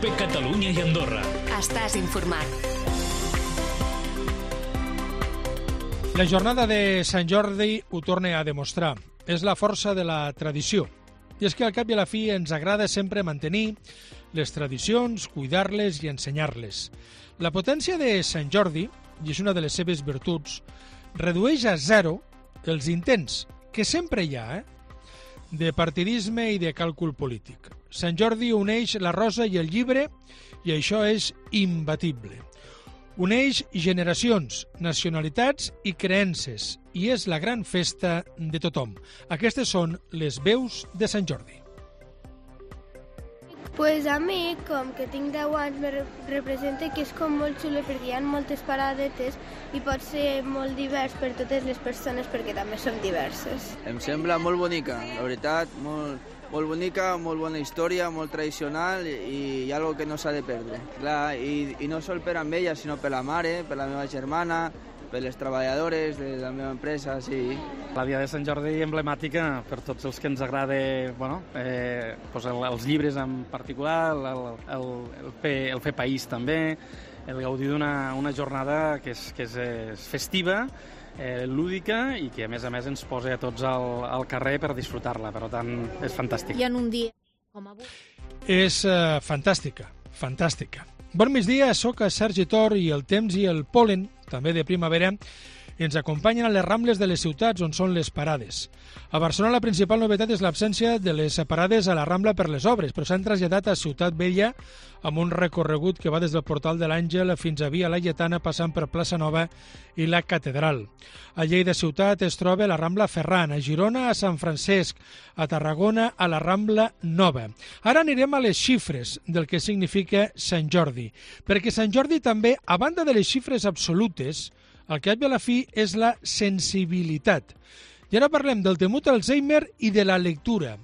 COPE Catalunya i Andorra. Estàs informat. La jornada de Sant Jordi ho torna a demostrar. És la força de la tradició. I és que al cap i a la fi ens agrada sempre mantenir les tradicions, cuidar-les i ensenyar-les. La potència de Sant Jordi, i és una de les seves virtuts, redueix a zero els intents, que sempre hi ha, de partidisme i de càlcul polític. Sant Jordi uneix la rosa i el llibre i això és imbatible. Uneix generacions, nacionalitats i creences i és la gran festa de tothom. Aquestes són les veus de Sant Jordi. Pues a mi, com que tinc 10 anys, me representa que és com molt xulo perquè hi ha moltes paradetes i pot ser molt divers per totes les persones perquè també són diverses. Em sembla molt bonica, la veritat, molt bonica, molt bona història, molt tradicional i algo que no s'ha de perdre. Clar, i no sol per amb ella, sinó per la mare, per la meva germana, per les treballadores de la meva empresa, sí. La Dia de Sant Jordi emblemàtica per tots els que ens agrada els llibres en particular, el fer país també, el gaudir d'una jornada que és festiva, lúdica i que a més ens posa a tots al carrer per disfrutar-la, per tant és fantàstic. I en un dia com avui... És fantàstica. Bon migdia, soc a Sergi Tor i el temps i el pol·len, també de primavera, ens acompanyen a les rambles de les ciutats on són les parades. A Barcelona la principal novetat és l'absència de les parades a la Rambla per les obres, però s'han traslladat a Ciutat Vella amb un recorregut que va des del Portal de l'Àngel fins a Via Laietana passant per Plaça Nova i la Catedral. A Lleida ciutat es troba la Rambla Ferran, a Girona a Sant Francesc, a Tarragona a la Rambla Nova. Ara anirem a les xifres del que significa Sant Jordi, perquè Sant Jordi també, a banda de les xifres absolutes, el que a la fi és la sensibilitat. I ara parlem del temut Alzheimer i de la lectura.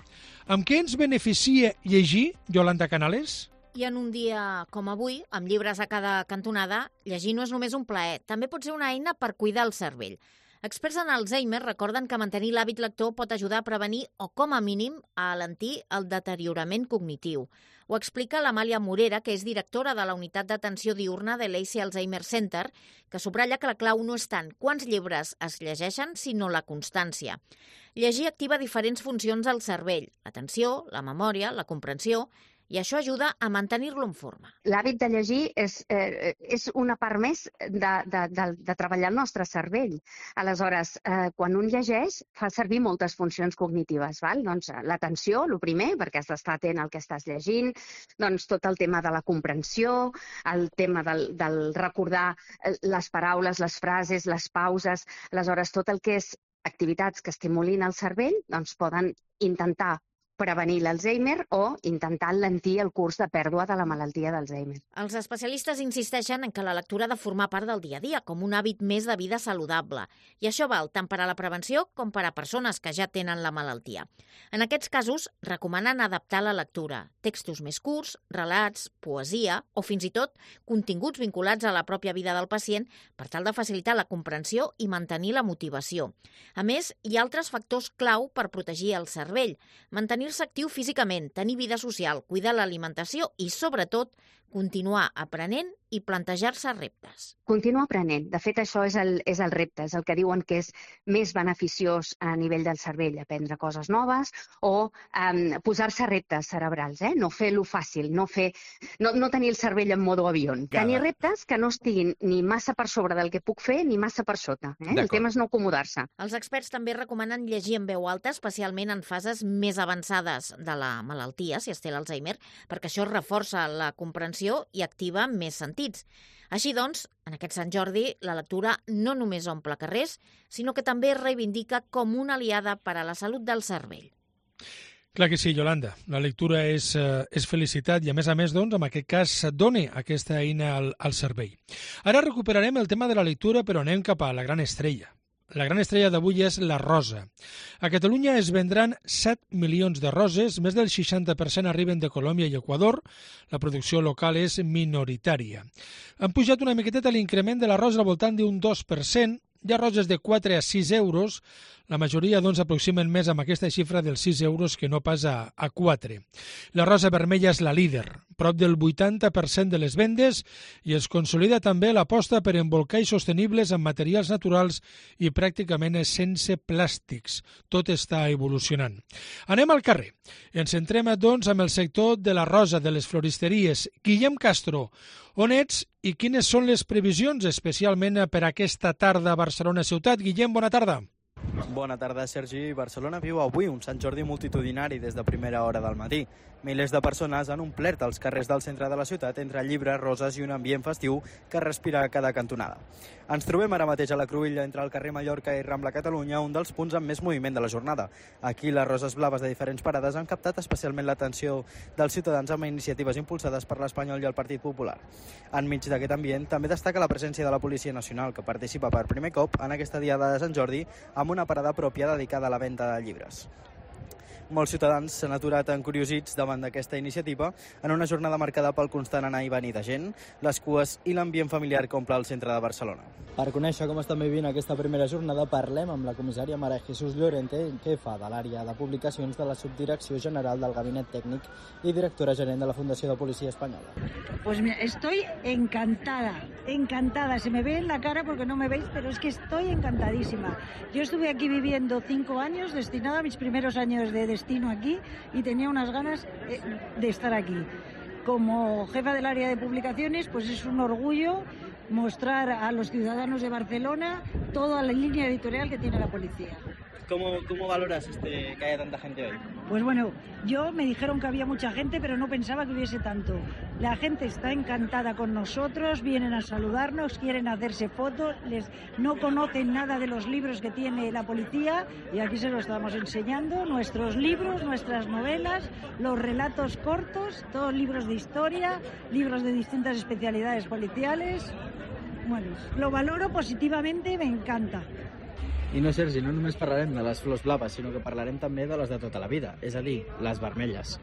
Amb què ens beneficia llegir, Yolanda Canales? I en un dia com avui, amb llibres a cada cantonada, llegir no és només un plaer, també pot ser una eina per cuidar el cervell. Experts en Alzheimer recorden que mantenir l'hàbit lector pot ajudar a prevenir o, com a mínim, a alentir el deteriorament cognitiu. Ho explica l'Amàlia Morera, que és directora de la unitat d'atenció diurna de l'ACE Alzheimer Center, que subratlla que la clau no és tant quants llibres es llegeixen, sinó la constància. Llegir activa diferents funcions al cervell, l'atenció, la memòria, la comprensió, i això ajuda a mantenir-lo en forma. L'hàbit de llegir és una part més de treballar el nostre cervell. Aleshores, quan un llegeix, fa servir moltes funcions cognitives. Val? Doncs l'atenció, el primer, perquè has d'estar atent al que estàs llegint, doncs tot el tema de la comprensió, el tema del recordar les paraules, les frases, les pauses. Aleshores, tot el que és activitats que estimulin el cervell, doncs poden intentar prevenir l'Alzheimer o intentar alentir el curs de pèrdua de la malaltia d'Alzheimer. Els especialistes insisteixen en que la lectura ha de formar part del dia a dia, com un hàbit més de vida saludable. I això val tant per a la prevenció com per a persones que ja tenen la malaltia. En aquests casos, recomanen adaptar la lectura, textos més curts, relats, poesia o fins i tot continguts vinculats a la pròpia vida del pacient per tal de facilitar la comprensió i mantenir la motivació. A més, hi ha altres factors clau per protegir el cervell, mantenir-se actiu físicament, tenir vida social, cuidar l'alimentació i, sobretot, continuar aprenent i plantejar-se reptes. Continuar aprenent. De fet, això és el repte, és el que diuen que és més beneficiós a nivell del cervell, aprendre coses noves o posar-se reptes cerebrals, no fer-lo fàcil, no tenir el cervell en modo avió. Tenir reptes que no estiguin ni massa per sobre del que puc fer ni massa per sota. El tema és no acomodar-se. Els experts també recomanen llegir en veu alta, especialment en fases més avançades de la malaltia, si es té l'Alzheimer, perquè això reforça la comprensió i activa més sentits. Així doncs, en aquest Sant Jordi, la lectura no només omple carrers, sinó que també es reivindica com una aliada per a la salut del cervell. Clar que sí, Yolanda. La lectura és felicitat i, a més, doncs, en aquest cas, dona aquesta eina al cervell. Ara recuperarem el tema de la lectura, però anem cap a la gran estrella. La gran estrella d'avui és la rosa. A Catalunya es vendran 7 milions de roses, més del 60% arriben de Colòmbia i Equador, la producció local és minoritària. Han pujat una miqueteta l'increment de la rosa al voltant d'un 2%, Hi ha roses de 4 a 6 euros, la majoria aproximen més amb aquesta xifra dels 6 euros que no pas a 4. La rosa vermella és la líder, prop del 80% de les vendes, i es consolida també l'aposta per embolcalls sostenibles amb materials naturals i pràcticament sense plàstics. Tot està evolucionant. Anem al carrer. Ens centrem, doncs, amb el sector de la rosa, de les floristeries. Guillem Castro, on ets i quines són les previsions, especialment per aquesta tarda a Barcelona ciutat? Guillem, bona tarda. Bona tarda, Sergi. Barcelona viu avui un Sant Jordi multitudinari des de primera hora del matí. Milers de persones han omplert els carrers del centre de la ciutat entre llibres, roses i un ambient festiu que respira a cada cantonada. Ens trobem ara mateix a la Cruïlla, entre el carrer Mallorca i Rambla Catalunya, un dels punts amb més moviment de la jornada. Aquí les roses blaves de diferents parades han captat especialment l'atenció dels ciutadans amb iniciatives impulsades per l'Espanyol i el Partit Popular. Enmig d'aquest ambient també destaca la presència de la Policia Nacional, que participa per primer cop en aquesta diada de Sant Jordi amb una parada pròpia dedicada a la venda de llibres. Molts ciutadans s'han aturat encuriosits davant d'aquesta iniciativa en una jornada marcada pel constant anar i venir de gent, les cues i l'ambient familiar que omple el centre de Barcelona. Per conèixer com estan vivint aquesta primera jornada, parlem amb la comissària Mara Jesús Llorente, que fa de l'àrea de publicacions de la Subdirecció General del Gabinet Tècnic y directora gerent de la Fundació de Policia Espanyola. Pues mira, estoy encantada. Se me ve en la cara porque no me veis, pero es que estoy encantadísima. Yo estuve aquí viviendo 5 años, destinada a mis primeros años de destino aquí, y tenía unas ganas de estar aquí. Como jefa del área de publicaciones, pues es un orgullo mostrar a los ciudadanos de Barcelona toda la línea editorial que tiene la policía. ¿Cómo valoras que haya tanta gente hoy? Pues bueno, me dijeron que había mucha gente, pero no pensaba que hubiese tanto. La gente está encantada con nosotros, vienen a saludarnos, quieren hacerse fotos, no conocen nada de los libros que tiene la policía y aquí se lo estamos enseñando, nuestros libros, nuestras novelas, los relatos cortos, todos libros de historia, libros de distintas especialidades policiales. Bueno, lo valoro positivamente, me encanta. I no, Sergi, no només parlarem de les flors blaves, sinó que parlarem també de les de tota la vida, és a dir, les vermelles.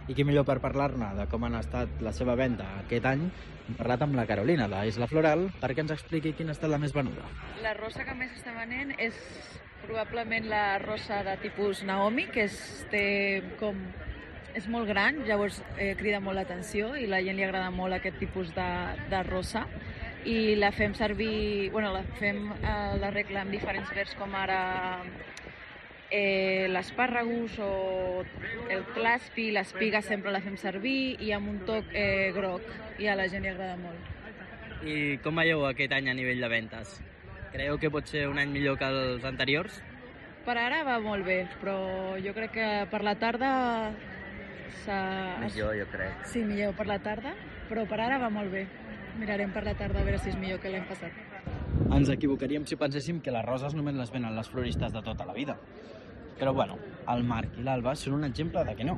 I qui millor per parlar-ne de com han estat la seva venda aquest any, hem parlat amb la Carolina, de Isla Floral, perquè ens expliqui quina ha estat la més venuda. La rosa que més està venent és probablement la rosa de tipus Naomi, que és molt gran, llavors crida molt l'atenció i la gent li agrada molt aquest tipus de rosa. I la fem servir, la regla amb diferents verds, com ara l'espàrregus o el claspi, l'espiga sempre la fem servir, i amb un toc groc, i a la gent li agrada molt. I com veieu aquest any a nivell de ventes? Creieu que pot ser un any millor que els anteriors? Per ara va molt bé, però jo crec que per la tarda Millor, jo crec. Sí, millor per la tarda, però per ara va molt bé. Mirarem per la tarda a veure si és millor que l'any passat. Ens equivocaríem si penséssim que les roses només les venen les floristes de tota la vida. Però bueno, el Marc i l'Alba són un exemple de que no.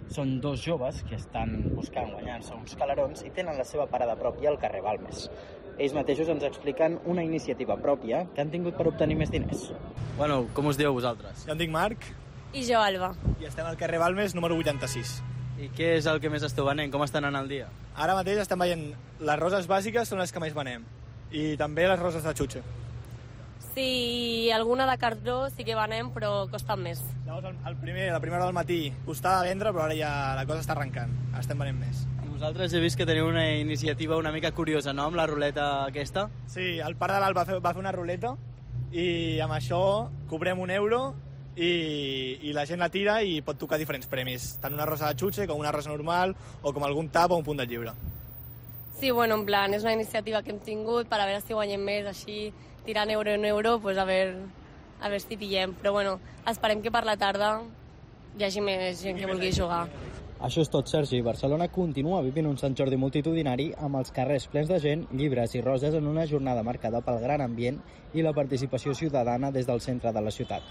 Són dos joves que estan buscant guanyar-se uns calarons i tenen la seva parada pròpia al carrer Balmes. Ells mateixos ens expliquen una iniciativa pròpia que han tingut per obtenir més diners. Bueno, com us dieu vosaltres? Jo em dic Marc. I jo, Alba. I estem al carrer Balmes, número 86. I què és el que més esteu venent? Com estan anant el dia? Ara mateix estem veient les roses bàsiques són les que més venem. I també les roses de xutxa. Sí, alguna de cartró sí que venem, però costen més. Llavors, la primera hora del matí costava vendre, però ara ja la cosa està arrencant. Estem venent més. I vosaltres he vist que teniu una iniciativa una mica curiosa, no?, amb la ruleta aquesta. Sí, el pare de l'Alba va fer una ruleta i amb això cobrem €1 i la gent la tira i pot tocar diferents premis, tant una rosa de xutxa com una rosa normal o com algun tap o un punt de llibre. Sí, bueno, en plan, és una iniciativa que hem tingut per a veure si guanyem més, així tirant euro en euro, pues a veure si pillem. Però bueno, esperem que per la tarda hi hagi més gent que vulgui jugar. Això és tot, Sergi. Barcelona continua vivint un Sant Jordi multitudinari amb els carrers plens de gent, llibres i roses en una jornada marcada pel gran ambient i la participació ciutadana des del centre de la ciutat.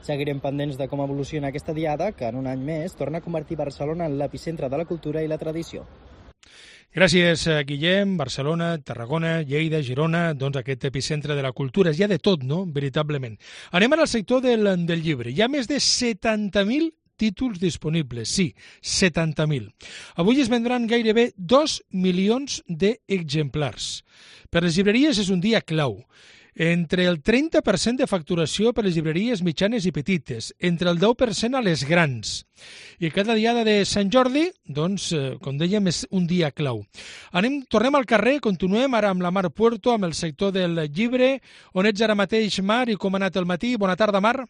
Seguirem pendents de com evoluciona aquesta diada, que en un any més torna a convertir Barcelona en l'epicentre de la cultura i la tradició. Gràcies, Guillem. Barcelona, Tarragona, Lleida, Girona, doncs aquest epicentre de la cultura. Hi ha de tot, no?, veritablement. Anem ara al sector del llibre. Hi ha més de 70.000 títols disponibles, sí, 70.000. Avui es vendran gairebé 2 milions d'exemplars. Per les llibreries és un dia clau. entre el 30% de facturació per les llibreries mitjanes i petites, entre el 10% a les grans. I cada diada de Sant Jordi, doncs, com dèiem, és un dia clau. Tornem al carrer, continuem ara amb la Mar Puerto, amb el sector del llibre. On ets ara mateix, Mar, i com ha anat el matí? Bona tarda, Mar.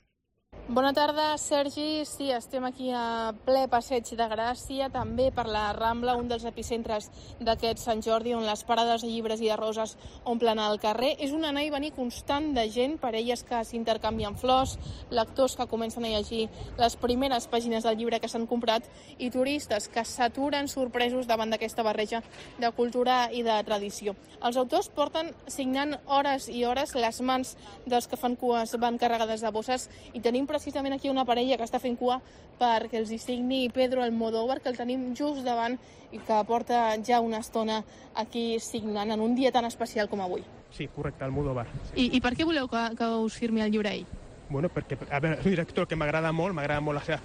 Bona tarda, Sergi. Sí, estem aquí a ple Passeig de Gràcia, també per la Rambla, un dels epicentres d'aquest Sant Jordi, on les parades de llibres i de roses omplen el carrer. És un anar i venir constant de gent, parelles que s'intercanvien flors, lectors que comencen a llegir les primeres pàgines del llibre que s'han comprat i turistes que s'aturen sorpresos davant d'aquesta barreja de cultura i de tradició. Els autors porten signant hores i hores, les mans dels que fan cues van carregades de bosses i tenim precisament aquí una parella que està fent cua perquè els hi signi Pedro Almodóvar, que el tenim just davant i que porta ja una estona aquí signant en un dia tan especial com avui. Sí, correcte, Almodóvar. Sí. I per què voleu que us firmi el llibre ell? Bueno, perquè a veure, és un director que m'agrada molt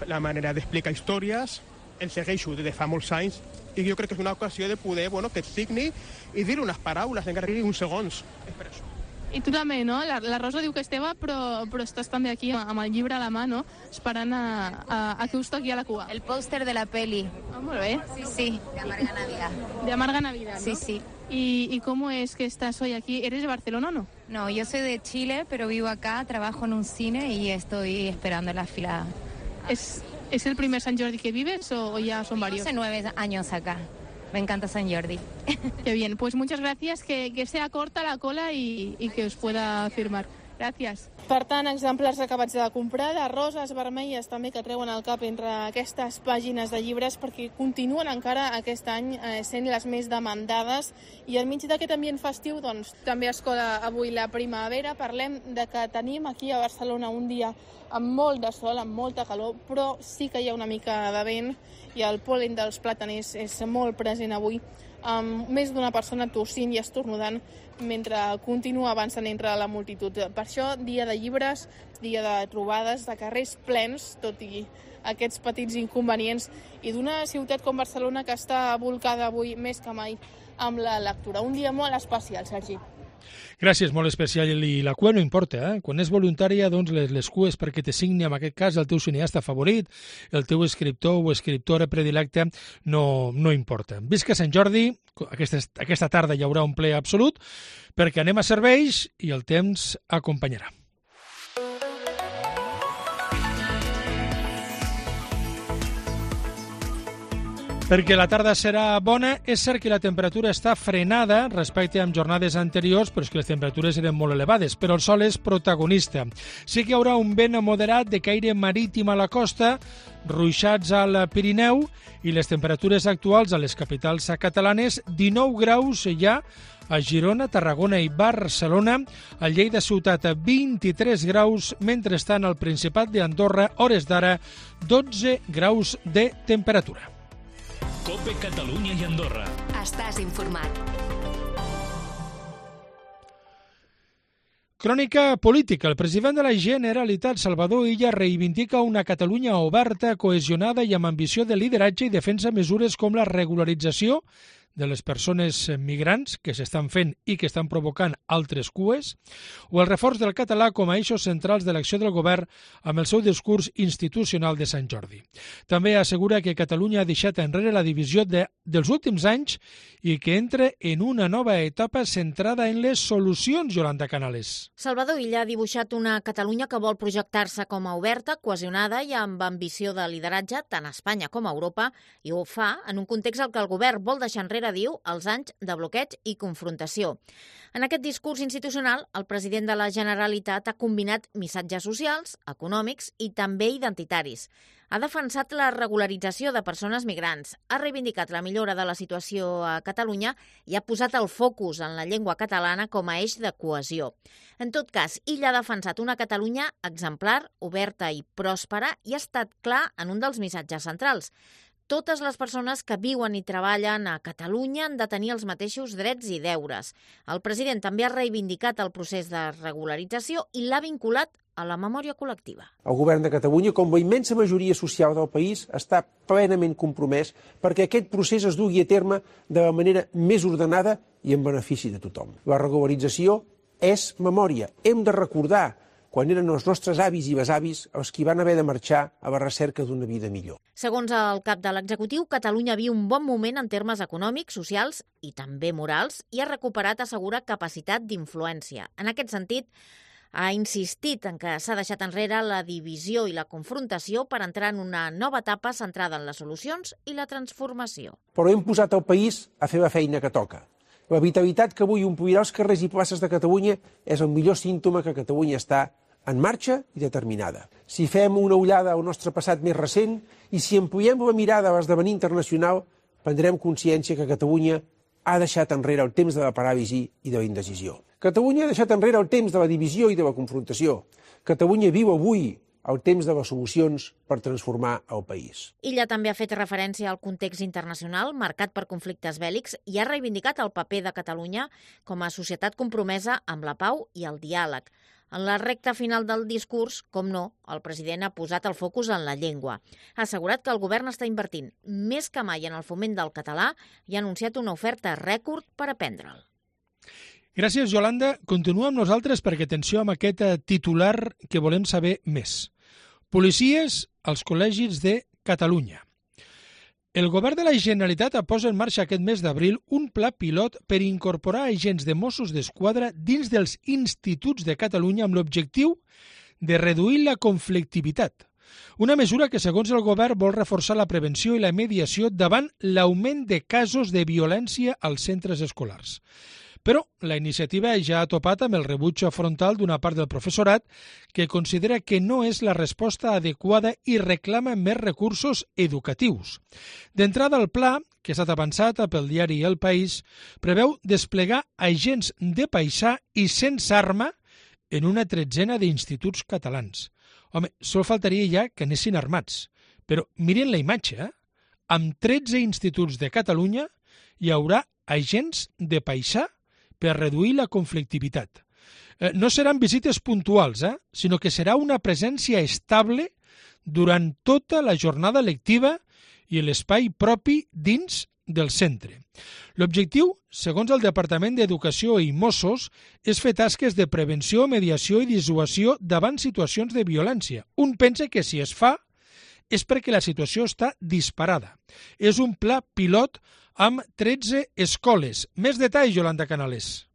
la manera d'explicar històries, el segueixo des de fa molts anys i jo crec que és una ocasió de poder que et signi i dir unes paraules, encara que uns segons. És per això. I tu també, no? La Rosa diu que és teva, però estàs també aquí amb el llibre a la mà, no? Esperant a que us toqui a la cua. El póster de la peli. Ah, molt bé. Sí, de Amarga Navidad. De Amarga Navidad, ¿no? Sí, sí. ¿Y cómo es que estás hoy aquí? ¿Eres de Barcelona o no? No, yo soy de Chile, pero vivo acá, trabajo en un cine y estoy esperando la fila. ¿Es el primer Sant Jordi que vives o ya son varios? Hace 9 años acá. Me encanta Sant Jordi. Qué bien, pues muchas gracias, que sea corta la cola y que os pueda firmar. Gràcies. Per tant, exemplars acabats de comprar, de roses vermelles també que treuen el cap entre aquestes pàgines de llibres perquè continuen encara aquest any sent les més demandades i enmig d'aquest ambient festiu doncs, també es cola avui la primavera. Parlem de que tenim aquí a Barcelona un dia amb molt de sol, amb molta calor, però sí que hi ha una mica de vent i el pol·len dels plàtaners és molt present avui, amb més d'una persona tossint i estornudant mentre continua avançant entre la multitud. Per això, dia de llibres, dia de trobades, de carrers plens, tot i aquests petits inconvenients, i d'una ciutat com Barcelona que està volcada avui més que mai amb la lectura. Un dia molt especial, Sergi. Gràcies, molt especial. I la cua no importa, Quan és voluntària, doncs les cues perquè te signi, en aquest cas, el teu cineasta favorit, el teu escriptor o escriptora predilecte, no importa. Visca Sant Jordi, aquesta tarda hi haurà un ple absolut, perquè anem a serveis i el temps acompanyarà. Perquè la tarda serà bona, és cert que la temperatura està frenada respecte a jornades anteriors, però és que les temperatures eren molt elevades, però el sol és protagonista. Sí que hi haurà un vent moderat de caire marítim a la costa, ruixats al Pirineu, i les temperatures actuals a les capitals catalanes, 19 graus ja a Girona, Tarragona i Barcelona, a Lleida ciutat 23 graus, mentrestant al Principat d'Andorra, hores d'ara, 12 graus de temperatura. COPE Catalunya i Andorra. Estàs informat. Crònica política. El president de la Generalitat, Salvador Illa, reivindica una Catalunya oberta, cohesionada i amb ambició de lideratge i defensa mesures com la regularització de les persones migrants que s'estan fent i que estan provocant altres cues, o el reforç del català com a eixos centrals de l'acció del govern amb el seu discurs institucional de Sant Jordi. També assegura que Catalunya ha deixat enrere la divisió dels últims anys i que entra en una nova etapa centrada en les solucions, Yolanda Canales. Salvador Illa ha dibuixat una Catalunya que vol projectar-se com a oberta, cohesionada i amb ambició de lideratge tant a Espanya com a Europa, i ho fa en un context en què el govern vol deixar enrere, diu, els anys de bloqueig i confrontació. En aquest discurs institucional, el president de la Generalitat ha combinat missatges socials, econòmics i també identitaris. Ha defensat la regularització de persones migrants, ha reivindicat la millora de la situació a Catalunya i ha posat el focus en la llengua catalana com a eix de cohesió. En tot cas, Illa ha defensat una Catalunya exemplar, oberta i pròspera i ha estat clar en un dels missatges centrals. Totes les persones que viuen i treballen a Catalunya han de tenir els mateixos drets i deures. El president també ha reivindicat el procés de regularització i l'ha vinculat a la memòria col·lectiva. El govern de Catalunya, com la immensa majoria social del país, està plenament compromès perquè aquest procés es dugui a terme de la manera més ordenada i en benefici de tothom. La regularització és memòria. Hem de recordar quan eren els nostres avis i besavis els qui van haver de marxar a la recerca d'una vida millor. Segons el cap de l'executiu, Catalunya viu un bon moment en termes econòmics, socials i també morals i ha recuperat, assegura, capacitat d'influència. En aquest sentit, ha insistit en que s'ha deixat enrere la divisió i la confrontació per entrar en una nova etapa centrada en les solucions i la transformació. Però hem posat el país a fer la feina que toca. La vitalitat que avui omplirà els carrers i places de Catalunya és el millor símptoma que Catalunya està en marxa i determinada. Si fem una ullada al nostre passat més recent i si ampliem la mirada a l'esdevenir internacional, prendrem consciència que Catalunya ha deixat enrere el temps de la paràlisi i de la indecisió. Catalunya ha deixat enrere el temps de la divisió i de la confrontació. Catalunya viu avui el temps de les solucions per transformar el país. Illa també ha fet referència al context internacional marcat per conflictes bèl·lics i ha reivindicat el paper de Catalunya com a societat compromesa amb la pau i el diàleg. En la recta final del discurs, com no, el president ha posat el focus en la llengua. Ha assegurat que el govern està invertint més que mai en el foment del català i ha anunciat una oferta rècord per aprendre'l. Gràcies, Yolanda. Continua amb nosaltres perquè atenció amb aquest titular que volem saber més. Policies als col·legis de Catalunya. El govern de la Generalitat posa en marxa aquest mes d'abril un pla pilot per incorporar agents de Mossos d'Esquadra dins dels instituts de Catalunya amb l'objectiu de reduir la conflictivitat. Una mesura que, segons el govern, vol reforçar la prevenció i la mediació davant l'augment de casos de violència als centres escolars. Però la iniciativa ja ha topat amb el rebuig frontal d'una part del professorat que considera que no és la resposta adequada i reclama més recursos educatius. D'entrada, el pla, que ha estat avançat pel diari El País, preveu desplegar agents de paisà i sense arma en una tretzena d'instituts catalans. Home, sol faltaria ja que anessin armats. Però miren la imatge, Amb 13 instituts de Catalunya hi haurà agents de paisà per reduir la conflictivitat. No seran visites puntuals, sinó que serà una presència estable durant tota la jornada lectiva i l'espai propi dins del centre. L'objectiu, segons el Departament d'Educació i Mossos, és fer tasques de prevenció, mediació i dissuasió davant situacions de violència. Un pensa que si es fa és perquè la situació està disparada. És un pla pilot amb 13 escoles. Més detalls, Yolanda Canales.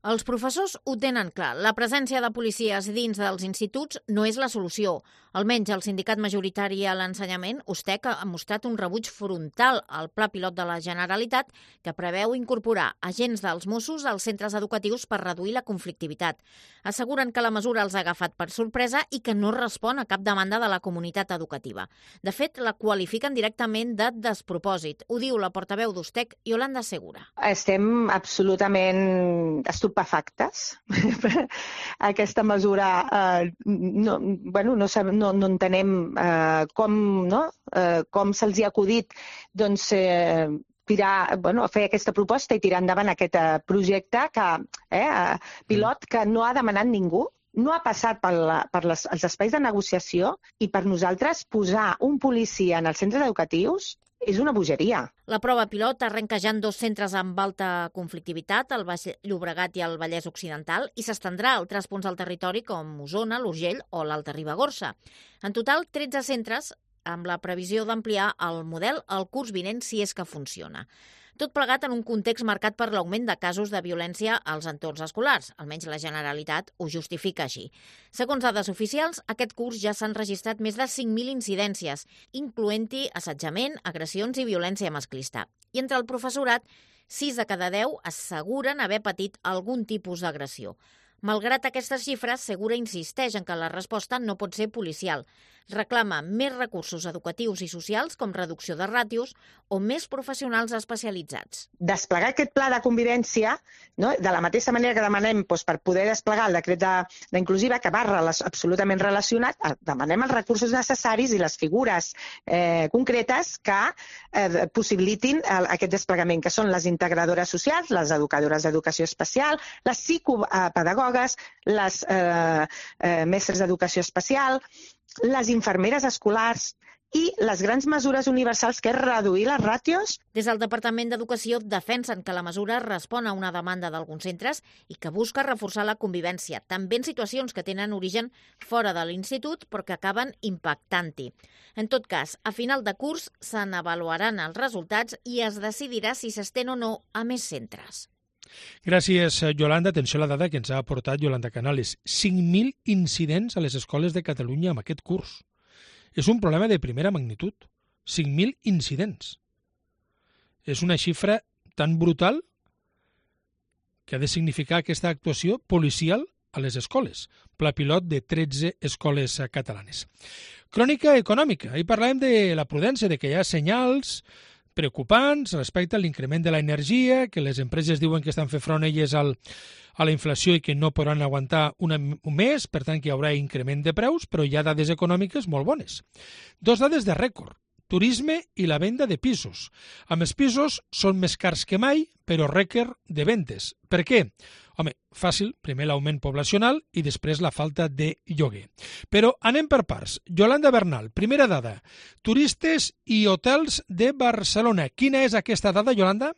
Els professors ho tenen clar. La presència de policies dins dels instituts no és la solució. Almenys el sindicat majoritari a l'ensenyament, USTEC, ha mostrat un rebuig frontal al pla pilot de la Generalitat que preveu incorporar agents dels Mossos als centres educatius per reduir la conflictivitat. Asseguren que la mesura els ha agafat per sorpresa i que no respon a cap demanda de la comunitat educativa. De fet, la qualifiquen directament de despropòsit. Ho diu la portaveu d'USTEC, Yolanda Segura. Estem absolutament estupefactes. Aquesta mesura no entenem com se'ls ha acudit fer aquesta proposta i tirar endavant aquest projecte pilot que no ha demanat ningú. No ha passat els espais de negociació i per nosaltres posar un policia en els centres educatius és una bogeria. La prova pilot arrenca ja en 2 centres amb alta conflictivitat, el Baix Llobregat i el Vallès Occidental, i s'estendrà a altres punts del territori com Osona, l'Urgell o l'Alta Ribagorça. En total, 13 centres amb la previsió d'ampliar el model el curs vinent si és que funciona. Tot plegat en un context marcat per l'augment de casos de violència als entorns escolars. Almenys la Generalitat ho justifica així. Segons dades oficials, aquest curs ja s'han registrat més de 5.000 incidències, incloent-hi assetjament, agressions i violència masclista. I entre el professorat, 6 de cada 10 asseguren haver patit algun tipus d'agressió. Malgrat aquestes xifres, Segura insisteix en que la resposta no pot ser policial. Reclama més recursos educatius i socials, com reducció de ràtios, o més professionals especialitzats. Desplegar aquest pla de convivència, de la mateixa manera que demanem per poder desplegar el decret d'inclusiva, que va absolutament relacionat, demanem els recursos necessaris i les figures concretes que possibilitin aquest desplegament, que són les integradores socials, les educadores d'educació especial, les psicopedagogues, les mestres d'educació especial, les infermeres escolars i les grans mesures universals, que és reduir les ràtios. Des del Departament d'Educació defensen que la mesura respon a una demanda d'alguns centres i que busca reforçar la convivència, també en situacions que tenen origen fora de l'institut però que acaben impactant-hi. En tot cas, a final de curs se n'avaluaran els resultats i es decidirà si s'estén o no a més centres. Gràcies, Yolanda. Atenció a la dada que ens ha aportat Yolanda Canales. 5.000 incidents a les escoles de Catalunya amb aquest curs. És un problema de primera magnitud. 5.000 incidents. És una xifra tan brutal que ha de significar aquesta actuació policial a les escoles. Pla pilot de 13 escoles catalanes. Crònica econòmica. Ahir parlàvem de la prudència, de que hi ha senyals preocupants respecte a l'increment de l'energia, que les empreses diuen que estan fent front elles a la inflació i que no podran aguantar un mes, per tant que hi haurà increment de preus, però hi ha dades econòmiques molt bones. 2 dades de rècord, turisme i la venda de pisos. Amb els pisos són més cars que mai, però rècord de vendes. Per què? Home, fàcil, primer l'augment poblacional i després la falta de lloguer. Però anem per parts. Yolanda Bernal, primera dada. Turistes i hotels de Barcelona. Quina és aquesta dada, Yolanda?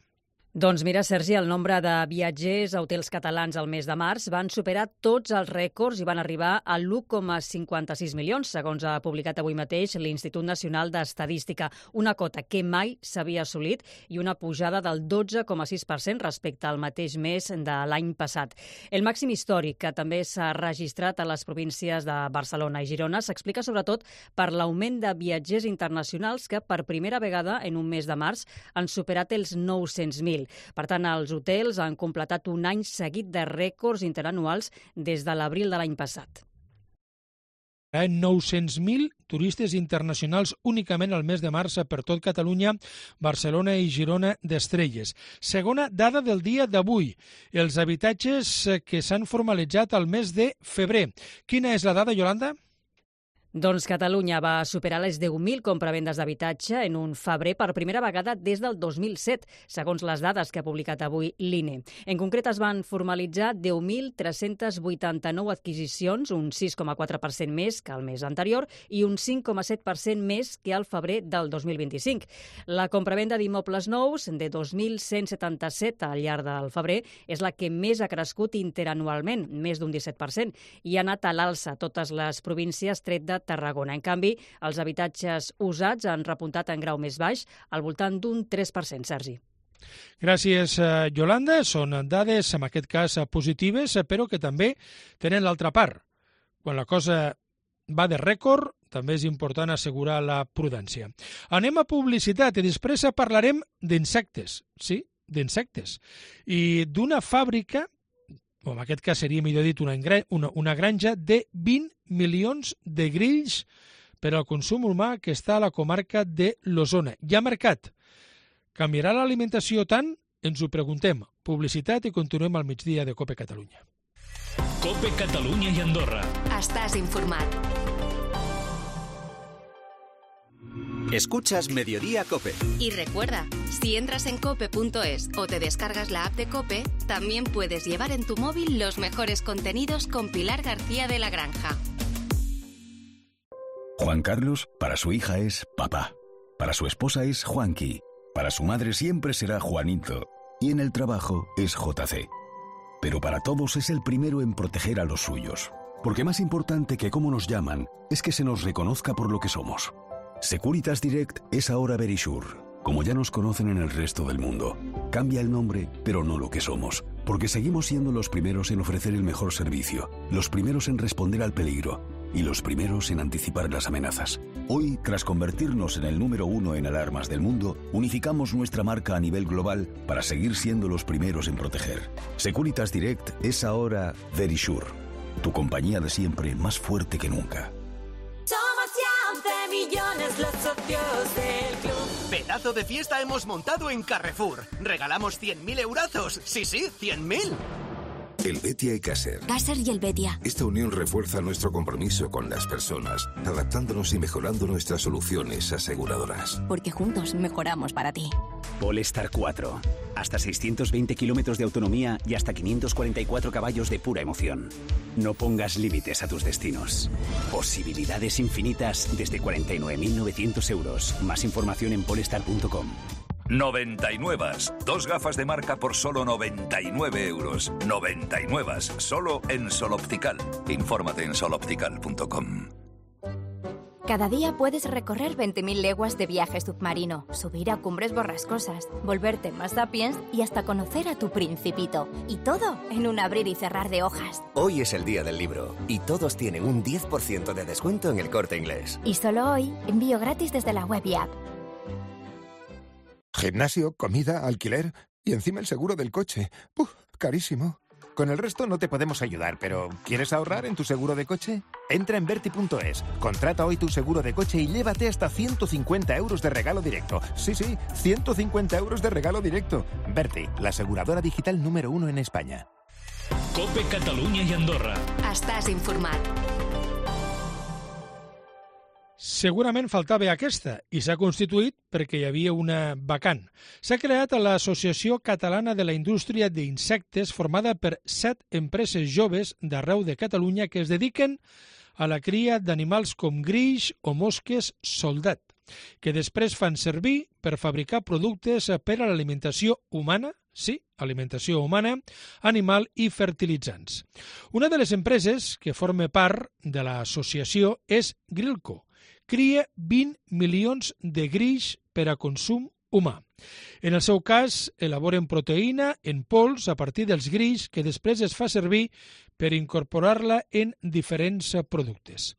Doncs mira, Sergi, el nombre de viatgers a hotels catalans al mes de març van superar tots els rècords i van arribar a 1,56 milions, segons ha publicat avui mateix l'Institut Nacional d'Estadística, una cota que mai s'havia assolit i una pujada del 12,6% respecte al mateix mes de l'any passat. El màxim històric, que també s'ha registrat a les províncies de Barcelona i Girona, s'explica sobretot per l'augment de viatgers internacionals que per primera vegada en un mes de març han superat els 900.000. Per tant, els hotels han completat un any seguit de rècords interanuals des de l'abril de l'any passat. 900.000 turistes internacionals únicament al mes de març per tot Catalunya, Barcelona i Girona d'estrelles. Segona dada del dia d'avui, els habitatges que s'han formalitzat al mes de febrer. Quina és la dada, Yolanda? Doncs Catalunya va superar les 10.000 compravendes d'habitatge en un febrer per primera vegada des del 2007, segons les dades que ha publicat avui l'INE. En concret, es van formalitzar 10.389 adquisicions, un 6,4% més que el mes anterior i un 5,7% més que al febrer del 2025. La compravenda d'immobles nous, de 2.177 al llarg del febrer, és la que més ha crescut interanualment, més d'un 17%, i ha anat a l'alça a totes les províncies tret de Tarragona. En canvi, els habitatges usats han repuntat en grau més baix, al voltant d'un 3%, Sergi. Gràcies, Yolanda. Són dades, en aquest cas, positives, però que també tenen l'altra part. Quan la cosa va de rècord, també és important assegurar la prudència. Anem a publicitat i després parlarem d'insectes. Sí, d'insectes. I d'una fàbrica, o en aquest cas seria millor dit una granja de 20 milions de grills per al consum humà que està a la comarca de l'Osona. Hi ha mercat. Canviarà l'alimentació tant? Ens ho preguntem. Publicitat i continuem al migdia de COPE Catalunya. COPE Catalunya i Andorra. Estàs informat. Escuchas Mediodía COPE. Y recuerda, si entras en cope.es o te descargas la app de COPE, también puedes llevar en tu móvil los mejores contenidos con Pilar García de la Granja. Juan Carlos, para su hija es papá. Para su esposa es Juanqui. Para su madre siempre será Juanito. Y en el trabajo es JC. Pero para todos es el primero en proteger a los suyos. Porque más importante que cómo nos llaman es que se nos reconozca por lo que somos. Securitas Direct es ahora Verisure, como ya nos conocen en el resto del mundo. Cambia el nombre, pero no lo que somos, porque seguimos siendo los primeros en ofrecer el mejor servicio, los primeros en responder al peligro y los primeros en anticipar las amenazas. Hoy, tras convertirnos en el número 1 en alarmas del mundo, unificamos nuestra marca a nivel global para seguir siendo los primeros en proteger. Securitas Direct es ahora Verisure, tu compañía de siempre más fuerte que nunca. Millones los socios del club. Pedazo de fiesta hemos montado en Carrefour. Regalamos 100.000 eurazos. Sí, 100.000. El Betia y Caser. Caser y el Betia. Esta unión refuerza nuestro compromiso con las personas, adaptándonos y mejorando nuestras soluciones aseguradoras. Porque juntos mejoramos para ti. Polestar 4. Hasta 620 kilómetros de autonomía y hasta 544 caballos de pura emoción. No pongas límites a tus destinos. Posibilidades infinitas desde 49.900 euros. Más información en polestar.com. 99. 2 gafas de marca por solo 99 euros. 99. Solo en Sol Optical. Infórmate en soloptical.com. Cada día puedes recorrer 20.000 leguas de viaje submarino, subir a cumbres borrascosas, volverte más sapiens y hasta conocer a tu principito. Y todo en un abrir y cerrar de hojas. Hoy es el día del libro y todos tienen un 10% de descuento en El Corte Inglés. Y solo hoy, envío gratis desde la web y app. Gimnasio, comida, alquiler y encima el seguro del coche. Carísimo. Con el resto no te podemos ayudar, pero ¿quieres ahorrar en tu seguro de coche? Entra en Verti.es, contrata hoy tu seguro de coche y llévate hasta 150 euros de regalo directo. Sí, 150 euros de regalo directo. Verti, la aseguradora digital número 1 en España. COPE Catalunya i Andorra. Estàs informat. Segurament faltava aquesta i s'ha constituït perquè hi havia una vacant. S'ha creat l'Associació Catalana de la Indústria d'Insectes, formada per 7 empreses joves d'arreu de Catalunya que es dediquen a la cria d'animals com grills o mosques soldat, que després fan servir per fabricar productes per a l'alimentació humana, sí, alimentació humana, animal i fertilitzants. Una de les empreses que forma part de l'associació és Grillco. Cria 20 milions de grills per a consum humà. En el seu cas, elaboren proteïna en pols a partir dels grills que després es fa servir per incorporar-la en diferents productes.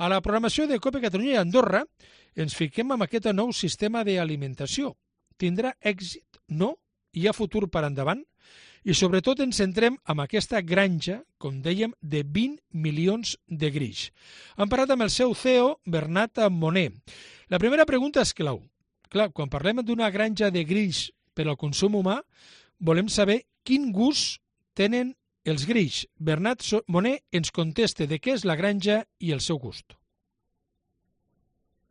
A la programació de COPE Catalunya i Andorra ens fiquem amb aquest nou sistema d'alimentació. Tindrà èxit? No? Hi ha futur per endavant? I sobretot ens centrem en aquesta granja, com dèiem, de 20 milions de grills. Hem parlat amb el seu CEO, Bernat Moner. La primera pregunta és clau. Clar, quan parlem d'una granja de grills per al consum humà, volem saber quin gust tenen els grills. Bernat Moner ens contesta de què és la granja i el seu gust.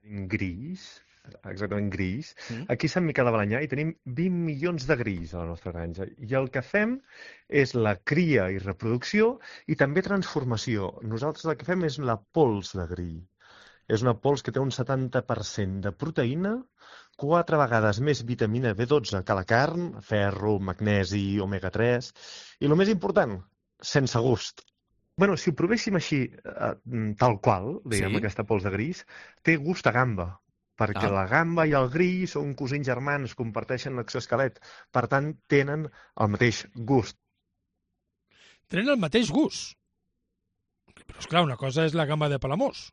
Grills, exactament grills. Aquí a Sant Miquel de Balenyà hi tenim 20 milions de grills a la nostra granja i el que fem és la cria i reproducció i també transformació. Nosaltres el que fem és la pols de grill. És una pols que té un 70% de proteïna, 4 vegades més vitamina B12 que la carn, ferro, magnesi, omega-3 i el més important, sense gust. Bueno, si ho provéssim així, tal qual, diguem, aquesta pols de grills, té gust a gamba, perquè la gamba i el grill són cosins germans, comparteixen l'exoesquelet, per tant, tenen el mateix gust. Tenen el mateix gust. Però, esclar, una cosa és la gamba de Palamós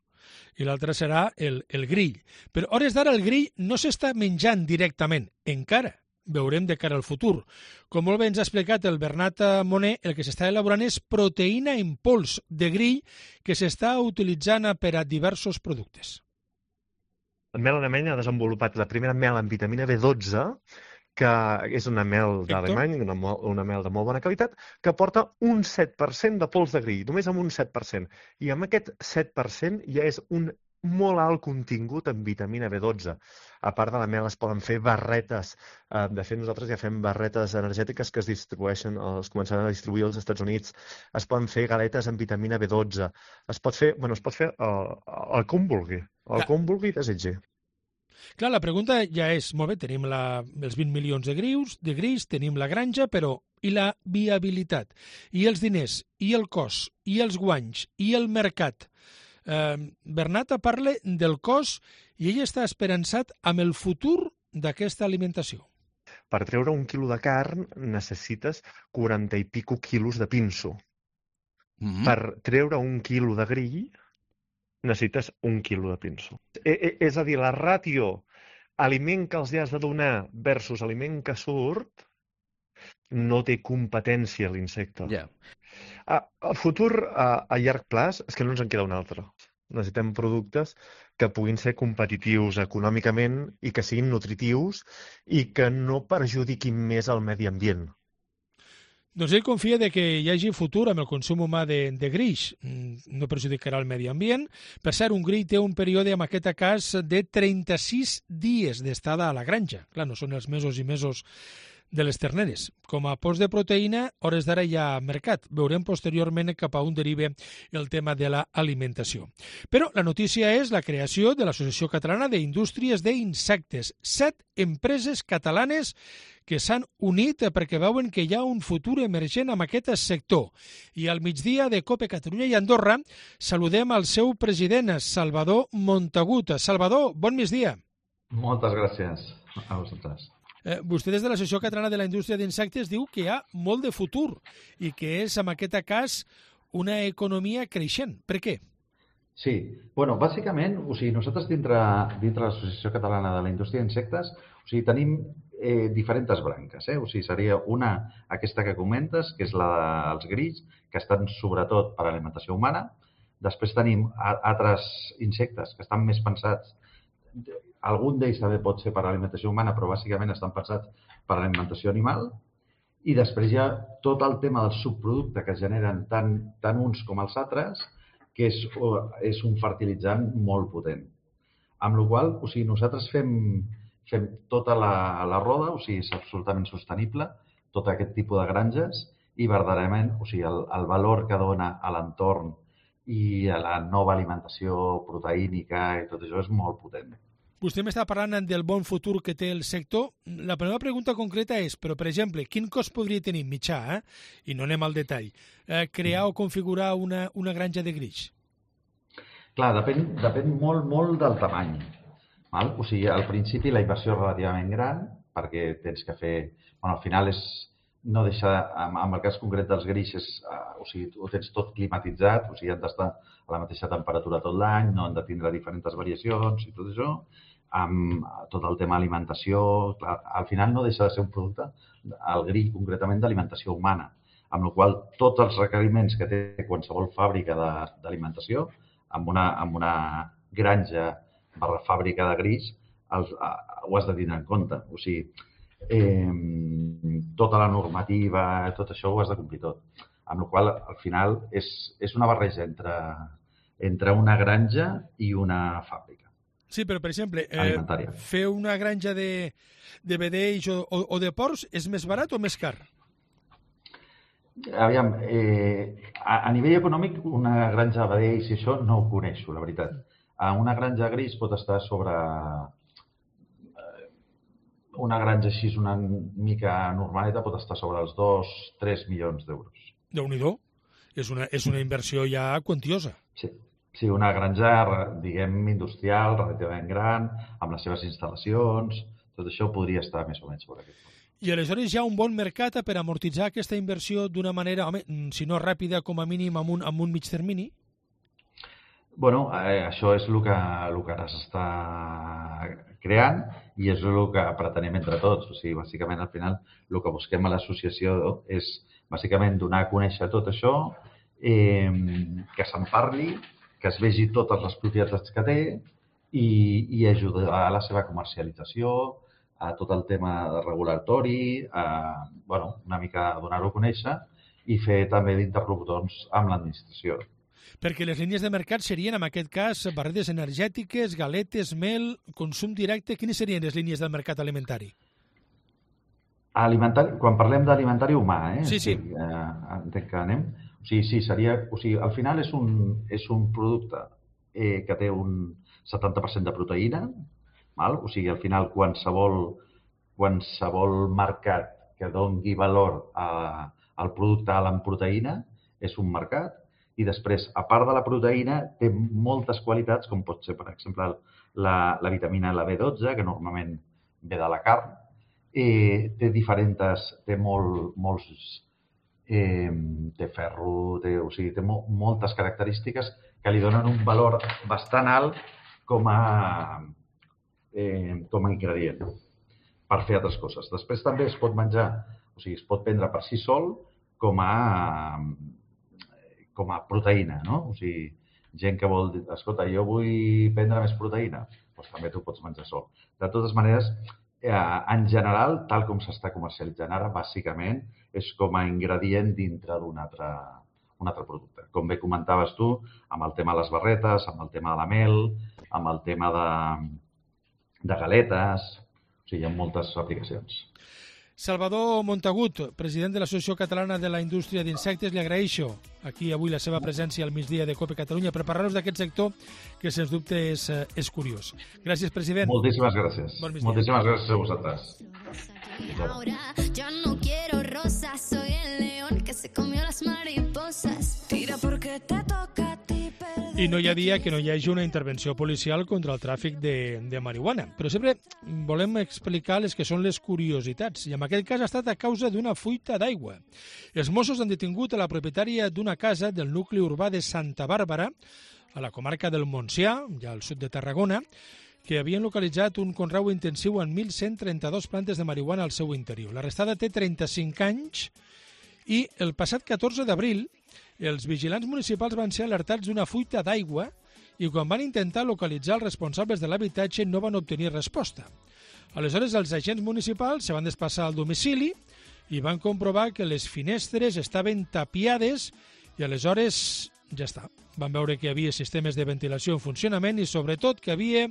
i l'altra serà el grill. Però, a hores d'ara, el grill no s'està menjant directament, encara. Veurem de cara al futur. Com molt bé ens ha explicat el Bernat Moner, el que s'està elaborant és proteïna en pols de grill que s'està utilitzant per a diversos productes. El mel alemany ha desenvolupat la primera mel amb vitamina B12, que és una mel d'Alemany, una mel de molt bona qualitat, que porta un 7% de pols de grill, només amb un 7%. I amb aquest 7% ja és un molt alt contingut en vitamina B12. A part de la mel es poden fer barretes. De fet, nosaltres ja fem barretes energètiques que es distribueixen, es començaran a distribuir als Estats Units. Es poden fer galetes amb vitamina B12. Es pot fer el que un vulgui. El que un vulgui desitgi. Clar, la pregunta ja és, molt bé, tenim els 20 milions de grills, tenim la granja, però i la viabilitat? I els diners? I el cost? I els guanys? I el mercat? Bernat parla del cost i ell està esperançat amb el futur d'aquesta alimentació. Per treure 1 quilo de carn necessites 40 i pico quilos de pinso. Per treure 1 quilo de grill necessites 1 quilo de pinso. És a dir, la ràtio aliment que els has de donar versus aliment que surt no té competència l'insecte. El futur a llarg plaç és que no ens en queda un altre. Necessitem productes que puguin ser competitius econòmicament i que siguin nutritius i que no perjudiquin més el medi ambient. Doncs ell confia de que hi hagi futur amb el consum humà de greix. No perjudicarà el medi ambient. Per cert, un grill té un període, en aquest cas, de 36 dies d'estada a la granja. Clar, no són els mesos i mesos de les terneres. Com a post de proteïna, hores d'ara hi ha mercat. Veurem posteriorment cap a on deriva el tema de l'alimentació. Però la notícia és la creació de l'Associació Catalana d'Indústries d'Insectes. 7 empreses catalanes que s'han unit perquè veuen que hi ha un futur emergent en aquest sector. I al migdia de COPE Catalunya i Andorra saludem al seu president, Salvador Montagut. Salvador, bon migdia. Moltes gràcies a vosaltres. Vostè des de l'Associació Catalana de la Indústria d'Insectes diu que hi ha molt de futur i que és, en aquest cas, una economia creixent. Per què? Sí, bàsicament, nosaltres dintre l'Associació Catalana de la Indústria d'Insectes tenim diferents branques. Seria una, aquesta que comentes, que és la dels grills, que estan sobretot per a alimentació humana. Després tenim altres insectes que estan més pensats. Algun d'ells també pot ser per a alimentació humana, però bàsicament estan pensats per a alimentació animal. I després hi ha tot el tema del subproducte que generen tant uns com els altres, que és un fertilitzant molt potent. Amb la qual cosa, nosaltres fem tota la roda, és absolutament sostenible, tot aquest tipus de granges, i verdaderament el valor que dona a l'entorn i a la nova alimentació proteínica i tot això és molt potent. Vostè m'està parlant del bon futur que té el sector. La primera pregunta concreta és, però, per exemple, quin cost podria tenir mitjà, i no anem al detall, crear o configurar una granja de greix? Clar, depèn molt del tamany. Al principi la inversió és relativament gran, perquè tens que fer... al final no deixa... En el cas concret dels greixos, ho tens tot climatitzat, han d'estar a la mateixa temperatura tot l'any, no han de tindre diferents variacions i tot això, amb tot el tema alimentació. Clar, al final no deixa de ser un producte, el grill concretament, d'alimentació humana, amb la qual cosa tots els requeriments que té qualsevol fàbrica d'alimentació, amb una granja fàbrica de grills, ho has de tenir en compte. Tota la normativa, tot això ho has de complir tot. Amb la qual cosa, al final, és una barreja entre una granja i una fàbrica. Sí, però, per exemple, alimentària. Fer una granja de vedells o de porcs és més barat o més car? Aviam, a nivell econòmic, una granja de vedells i això no ho coneixo, la veritat. Una granja de grills pot estar sobre... Una granja així una mica normaleta pot estar sobre els 2-3 milions d'euros. Déu-n'hi-do. És una inversió ja quantiosa. Sí, una granja, diguem, industrial, relativament gran, amb les seves instal·lacions, tot això podria estar més o menys sobre aquest punt. I aleshores hi ha un bon mercat per amortitzar aquesta inversió d'una manera, si no ràpida, com a mínim amb un mig termini? Això és el que ara s'està creant i és el que pretenem entre tots. Bàsicament, al final, el que busquem a l'associació és, bàsicament, donar a conèixer tot això, que se'n parli, que es vegi totes les propietats que té i ajudar a la seva comercialització, a tot el tema regulatori, una mica donar-ho a conèixer i fer també d'interlocutors amb l'administració. Perquè les línies de mercat serien, en aquest cas, barretes energètiques, galetes, mel, consum directe. Quines serien les línies del mercat alimentari? Quan parlem d'alimentari humà, Sí. Entenc que anem. Seria... al final és un producte que té un 70% de proteïna. Al final, qualsevol mercat que doni valor al producte alt en proteïna és un mercat. I després, a part de la proteïna, té moltes qualitats, com pot ser, per exemple, la vitamina, la B12, que normalment ve de la carn. Té molts... té ferro, té moltes característiques que li donen un valor bastant alt com a ingredient per fer altres coses. Després també es pot menjar, es pot prendre per si sol com a proteïna, no? Gent que vol dir, escolta, jo vull prendre més proteïna, doncs també t'ho pots menjar sol. De totes maneres, en general, tal com s'està comercialitzant ara, bàsicament és com a ingredient dintre d'un altre producte. Com bé comentaves tu, amb el tema de les barretes, amb el tema de la mel, amb el tema de galetes, o sigui, hi ha moltes aplicacions. Salvador Montagut, president de l'Associació Catalana de la Indústria d'Insectes, li agraeixo aquí avui la seva presència al migdia de COPE Catalunya per parlar-nos d'aquest sector que, sens dubte, és curiós. Gràcies, president. Moltíssimes gràcies. Bon migdia. Moltíssimes gràcies a vosaltres. Yo no quiero rosas, soy el león que se comió las mariposas. Tira porque te toca a ti perder. I no hi ha dia que no hi hagi una intervenció policial contra el tràfic de marihuana. Però sempre volem explicar les que són les curiositats. I en aquest cas ha estat a causa d'una fuita d'aigua. Els Mossos han detingut a la propietària d'una casa del nucli urbà de Santa Bàrbara, a la comarca del Montsià, ja al sud de Tarragona, que havien localitzat un conreu intensiu en 1.132 plantes de marihuana al seu interior. L'arrestada té 35 anys i el passat 14 d'abril els vigilants municipals van ser alertats d'una fuita d'aigua i quan van intentar localitzar els responsables de l'habitatge no van obtenir resposta. Aleshores, els agents municipals se van desplaçar al domicili i van comprovar que les finestres estaven tapiades i aleshores ja està. Van veure que hi havia sistemes de ventilació en funcionament i sobretot que hi havia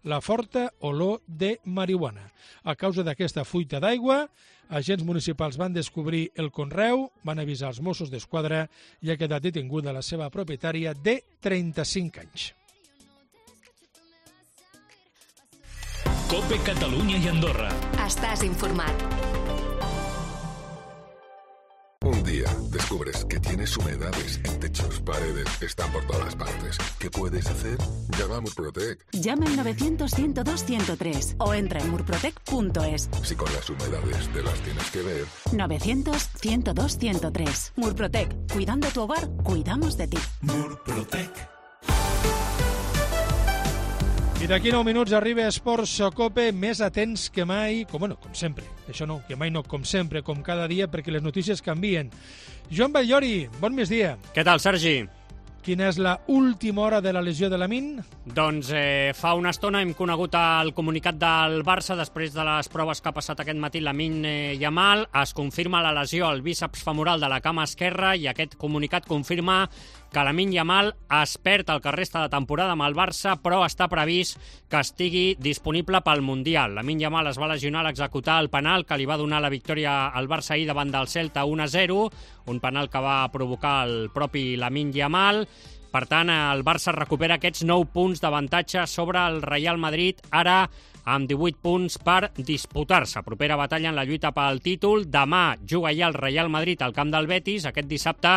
la forta olor de marihuana. A causa d'aquesta fuita d'aigua, agents municipals van descobrir el conreu, van avisar els Mossos d'Esquadra i ha quedat detinguda la seva propietària de 35 anys. COPE Catalunya i Andorra. Estàs informat. Un día descubres que tienes humedades en techos, paredes, están por todas partes. ¿Qué puedes hacer? Llama a Murprotec. Llama al 900-102-103 o entra en murprotec.es. Si con las humedades te las tienes que ver. 900-102-103. Murprotec. Cuidando tu hogar, cuidamos de ti. Murprotec. I d'aquí 9 minuts arriba Esports Cope, més atents que mai, com sempre. Això no, que mai no, com sempre, com cada dia, perquè les notícies canvien. Joan Batllori, bon migdia. Què tal, Sergi? Quina és la última hora de la lesió de Lamine? Doncs fa una estona hem conegut el comunicat del Barça després de les proves que ha passat aquest matí Lamine Yamal. Es confirma la lesió al bíceps femoral de la cama esquerra i aquest comunicat confirma que Lamine Yamal es perd el que resta de temporada amb el Barça, però està previst que estigui disponible pel Mundial. Lamine Yamal es va lesionar a l'executar el penal que li va donar la victòria al Barça ahir davant del Celta 1-0, un penal que va provocar el propi Lamine Yamal. Per tant, el Barça recupera aquests 9 punts d'avantatge sobre el Real Madrid, ara amb 18 punts per disputar-se. Propera batalla en la lluita pel títol. Demà juga ja el Real Madrid al camp del Betis. Aquest dissabte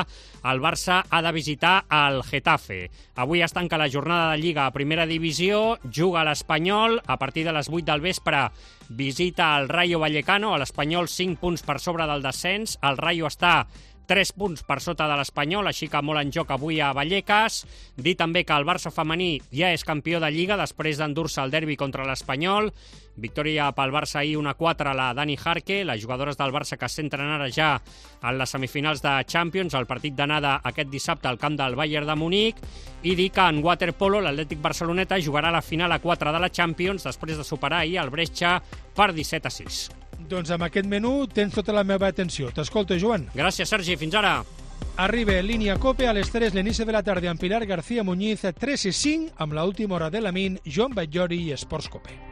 el Barça ha de visitar el Getafe. Avui es tanca la jornada de Lliga a Primera Divisió. Juga l'Espanyol. A partir de les 8 del vespre visita el Rayo Vallecano. L'Espanyol 5 punts per sobre del descens. El Rayo està 3 punts per sota de l'Espanyol, així que molt en joc avui a Vallecas. Dir també que el Barça femení ja és campió de Lliga després d'endur-se el derbi contra l'Espanyol. Victòria pel Barça ahir 1-4 a la Dani Jarque, les jugadores del Barça que es centren ara ja en les semifinals de Champions, el partit d'anada aquest dissabte al camp del Bayern de Munic, i dir que en waterpolo l'Atlètic Barceloneta jugarà la final a 4 de la Champions després de superar ahir el Brescia per 17-6. Doncs amb aquest menú tens tota la meva atenció. T'escolto, Joan. Gràcies, Sergi. Fins ara. Arriba Línia Cope a les 3, l'inici de la tarda amb Pilar García Muñiz, 3-5, amb l'última hora de Lamine, Joan Batllori i Esports Cope.